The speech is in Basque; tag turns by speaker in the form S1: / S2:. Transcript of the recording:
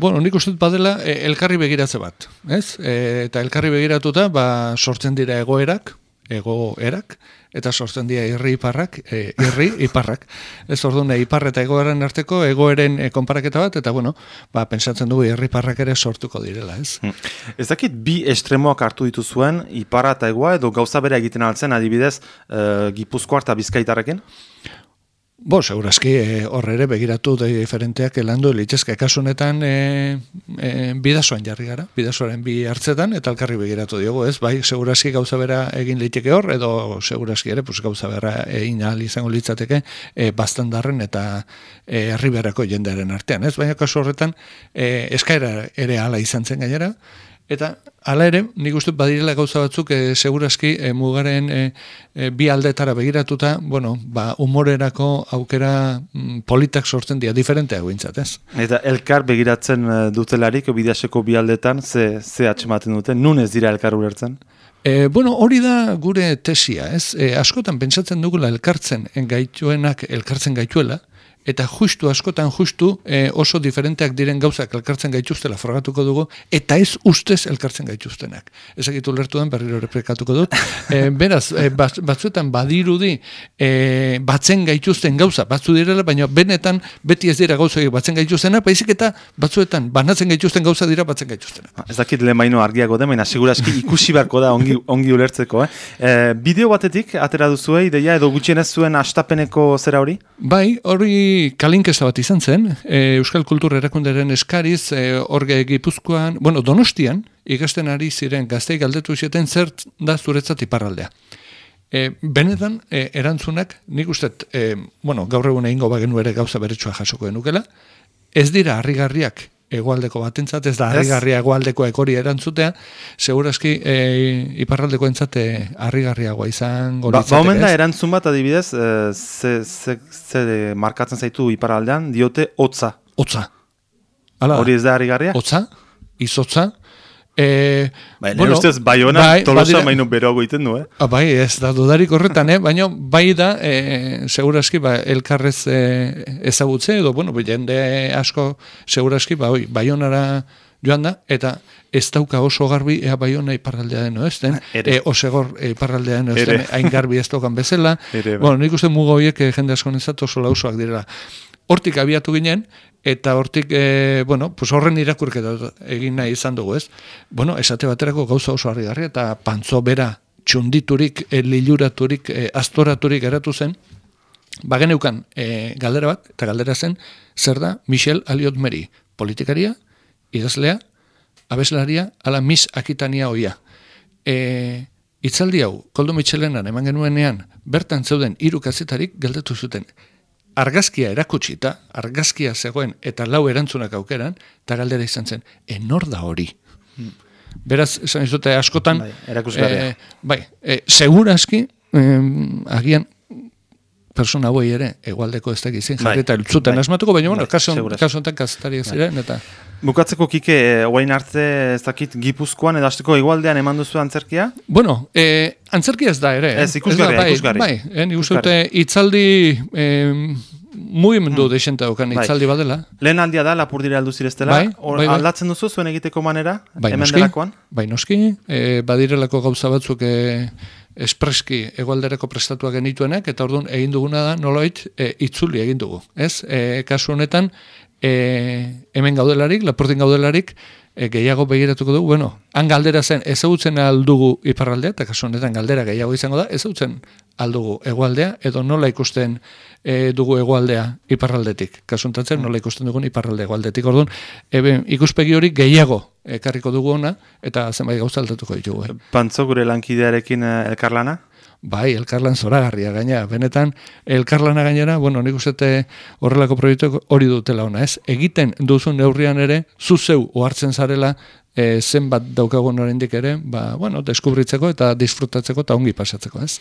S1: Bueno, nik uste badela elkarri begiratze bat, ez? Eta elkarri begiratuta, sortzen dira egoerak, eta sortzen dira irri-iparrak, ez orduan ipar eta egoeren arteko egoeren konparaketa bat, eta bueno, pentsatzen dugu irri-iparrak ere sortuko direla, ez?
S2: Ez dakit bi estremoak hartu dituzuen, iparra eta egoa, edo gauza bera egiten altzen, adibidez, Gipuzkoa eta Bizkaitarrekin?
S1: Segurazki horre ere begiratu diferenteak landu litzezke kasunetan bidasoan jarri gara, bidasoaren bi hartzetan, eta elkarri begiratu diogu, ez? Bai, segurazki gauza bera egin liteke hor, edo segurazki ere, gauza bera egin ahal izango litzateke baztandarren eta herriberako jendearen artean, ez? Baina kasu horretan eskaera ere hala izan zen gainera, eta hala ere, nik uste badirela gauza batzuk segurazki mugaren bi aldetara begiratuta, humorerako aukera politak sortzen dira, diferenteak bintzat, ez?
S2: Eta elkar begiratzen dutelarik, bidaseko bi aldetan, ze atxematen duten, nun ez dira elkar ulertzen?
S1: Hori da gure tesia, ez? Askotan pentsatzen dugula elkartzen gaituela, eta askotan oso diferenteak diren gauzak elkartzen gaituztela frogatuko dugu, eta ez ustez elkartzen gaituztenak. Ezagitu lertu den, berriro errepikatuko dut. Beraz, batzuetan badirudi batzen gaituzten gauza, batzu direla, baina benetan beti ez dira gauza batzen gaituztenak, baizik eta batzuetan banatzen gaituzten gauza dira batzen gaituztenak.
S2: Ez dakit lemaino argiago den, baina segurazki ikusi beharko da ongi ulertzeko. Bideo batetik atera duzue, ideia edo gutxienez zuen astapeneko zera hori?
S1: Bai, hori kalinkesta bat izan zen, Euskal Kultur Erakunderen eskariz, orge Gipuzkoan, Donostian, ikasten ari ziren gazteik galdetu zieten zer da zuretzat iparraldea. Benetan, erantzunak, nik ustet, gaur egun egingo bagenu ere gauza beretsua jasoko denukela, ez dira harrigarriak egoaldeko batentzat, ez da harrigarria egoaldekoek hori erantzutea, segurazki iparraldeko entzate harrigarriagoa izango litzateke.
S2: Omen da erantzun bat adibidez, ze markatzen zaitu iparraldean, diote hotza.
S1: Hotza.
S2: Hori ez da harrigarria?
S1: Hotza, izotza.
S2: Nire ustez, Baiona Tolosa maino beroago iten du,
S1: Bai, ez da dudarik horretan, baina bai da, segurazki, elkarrez ezagutze, edo, jende asko, segurazki, Baionara joan da, eta ez dauka oso garbi ea Baiona iparraldea deno ez den, osegor iparraldea deno ez den, hain garbi ez daukan bezala. Nik uste muga horiek jende asko nezat oso lausoak direla. Hortik abiatu ginen, eta hortik, horren irakurketa egin nahi izan dugu, ez? Esate baterako gauza oso harrigarria, eta pantzo bera txunditurik, liluraturik, astoraturik eratu zen, bageneukan galdera bat, eta galdera zen, zer da Michel Aliot-Meri, politikaria, idazlea, abeslaria, ala Miss Akitania hoia. Itzaldi hau, Koldo Mitxelenan eman genuenean, bertan zeuden 3 kazetarik galdetu zuten, argazkia erakutsita, argazkia zegoen eta 4 erantzunak aukeran, eta galdera izan zen, enor da hori. Beraz, esan izute askotan, segurazki, agian, persona hoi ere, egualdeko ez dakizin, jarri eta zuten asmatuko, baina, kasu honetan kazetariak ziren, eta...
S2: Bukatzeko, Kike, oain arte ez dakit Gipuzkoan edasteko egualdean eman duzu antzerkia?
S1: Antzerkia ez da ere.
S2: Ez, ikusgarri.
S1: Bai, nik uste dute itzaldi mugimendu desenta okan itzaldi badela.
S2: Lehen aldia da, Lapurdira aldu zireztela. Aldatzen duzu zuen egiteko manera? Hemen delakoan?
S1: Bai, noski. Badirelako gauza batzuk espreski egualderako prestatuak genituenak, eta orduan egin duguna da, nolait, itzuli egin dugu. Kasu honetan, hemen gaudelarik, Lapurdin gaudelarik, gehiago begiratuko dugu, han galdera zen ezagutzen aldugu iparraldea, eta kasu honetan galdera gehiago izango da, ezagutzen aldugu egoaldea, edo nola ikusten dugu egoaldea iparraldetik. Kasu honetan nola ikusten dugun iparralde egoaldetik. Orduan, ikuspegi hori gehiago ekarriko dugu ona, eta zenbait gauza aldatuko ditugu.
S2: Pantzo gure lankidearekin elkarlana?
S1: Bai, elkarlan zoragarria gaina. Benetan, elkarlana gainera, nik uste horrelako proiektu hori dutela ona, ez? Egiten duzun neurrian ere, zuzeu ohartzen zarela, zenbat daukagun oraindik ere, deskubritzeko eta disfrutatzeko eta ongi pasatzeko, ez?